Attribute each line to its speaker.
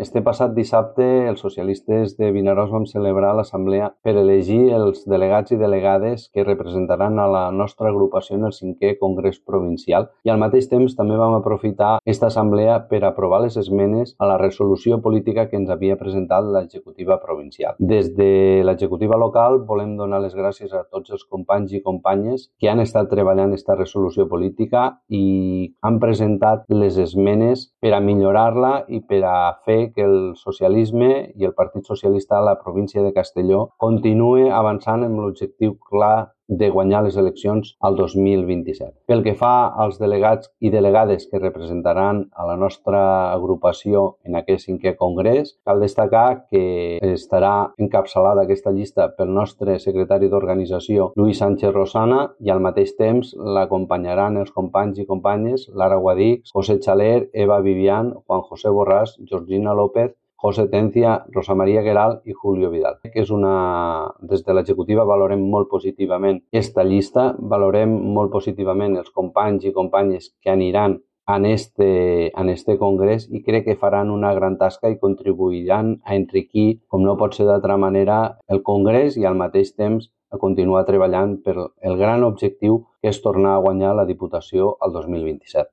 Speaker 1: Este passat dissabte, els socialistes de Vinaròs vam celebrar l'assemblea per elegir els delegats i delegades que representaran a la nostra agrupació en el 5è Congrés Provincial i al mateix temps també vam aprofitar aquesta assemblea per aprovar les esmenes a la resolució política que ens havia presentat l'executiva provincial. Des de l'executiva local volem donar les gràcies a tots els companys i companyes que han estat treballant aquesta resolució política i han presentat les esmenes per a millorar-la i per a fer que el socialisme i el Partit Socialista a la província de Castelló continue avançant amb l'objectiu clar de guanyar les eleccions al 2027. Pel que fa als delegats i delegades que representaran a la nostra agrupació en aquest 5è congrés, cal destacar que estarà encapçalada aquesta llista pel nostre secretari d'organització, Lluís Sánchez Rosana, i al mateix temps l'acompanyaran els companys i companyes Lara Guadix, José Chaler, Eva Vivian, Juan José Borràs, Georgina López, José Tencia, Rosa María Gueral i Julio Vidal. Des de l'executiva valorem molt positivament aquesta llista, valorem molt positivament els companys i companyes que aniran en este congrés i crec que faran una gran tasca i contribuiran a enriquir, com no pot ser d'altra manera, el congrés i al mateix temps a continuar treballant per el gran objectiu que és tornar a guanyar la Diputació al 2027.